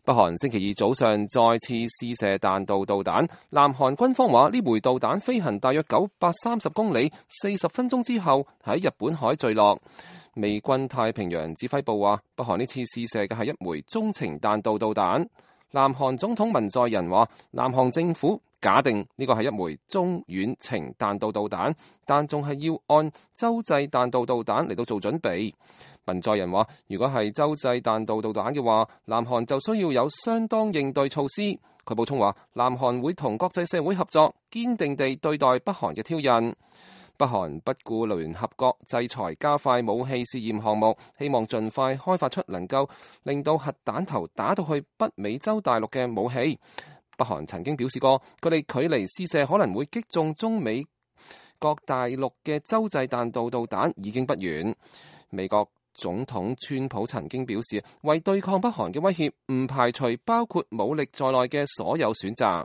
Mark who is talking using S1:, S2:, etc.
S1: 北韓星期二早上再次試射彈道導彈，南韓軍方話呢枚導彈飛行大約930公里，40分鐘之後喺日本海墜落。美軍太平洋指揮部話，北韓呢次試射嘅係一枚中程彈道導彈。南韓總統文在寅話，南韓政府假定呢個係一枚中遠程彈道導彈，但仲係要按洲際彈道導彈嚟到做準備。文在寅話，如果係洲際彈道導彈嘅話，南韓就需要有相當應對措施。佢補充話，南韓會同國際社會合作，堅定地對待北韓嘅挑釁。北韓不顧聯合國制裁，加快武器試驗項目，希望盡快開發出能夠令到核彈頭打到去北美洲大陸嘅武器。北韓曾經表示過，佢哋距離試射可能會擊中中美國大陸嘅洲際彈道導彈已經不遠。美國總統川普曾經表示，為對抗北韓嘅威脅，唔排除包括武力在內嘅所有選擇。